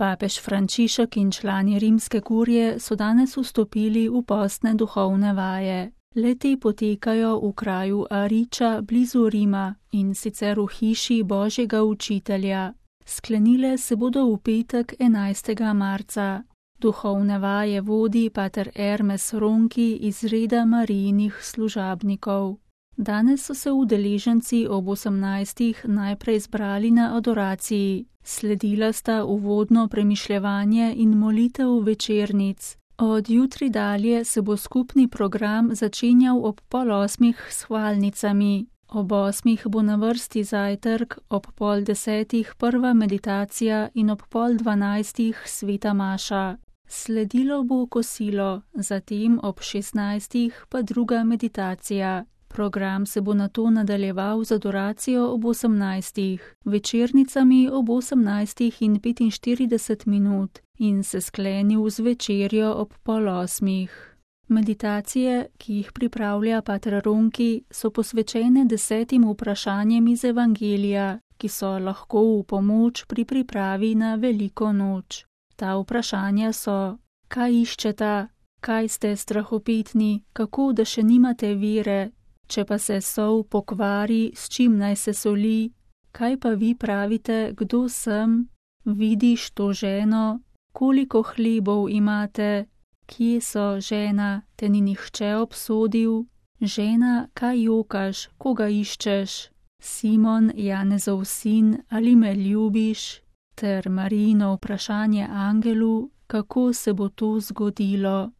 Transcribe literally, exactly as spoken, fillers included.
Papež Frančišek in člani rimske kurije so danes vstopili v postne duhovne vaje. Le-te potekajo v kraju Ariča blizu Rima in sicer v hiši Božjega učitelja. Sklenile se bodo v petek enajstega marca. Duhovne vaje vodi pater Ermes Ronki iz reda Marijinih služabnikov. Danes so se udeleženci ob osemnajstih najprej zbrali na adoraciji. Sledila sta uvodno premišljevanje in molitev večernic. Od jutri dalje se bo skupni program začenjal ob pol osmih s hvalnicami. Ob osmih bo na vrsti zajtrk, ob pol desetih prva meditacija in ob pol dvanajstih sveta maša. Sledilo bo kosilo, zatem ob šestnajstih pa druga meditacija. Program se bo nato nadaljeval z adoracijo ob osemnajstih, večernicami ob osemnajstih in petinštirideset minut in se sklenil z večerjo ob pol osmih. Meditacije, ki jih pripravlja pater Ronki, so posvečene desetim vprašanjem iz Evangelija, ki so lahko v pomoč pri pripravi na veliko noč. Ta vprašanja so: kaj iščeta, kaj ste strahopetni, kako da še nimate vere, če pa se sol pokvari, s čim naj se soli, kaj pa vi pravite, kdo sem, vidiš to ženo, koliko hlebov imate, kje so, žena, te ni nihče obsodil, žena, kaj jokaš, koga iščeš, Simon, Janezov sin, ali me ljubiš, ter Marijino vprašanje angelu, kako se bo to zgodilo.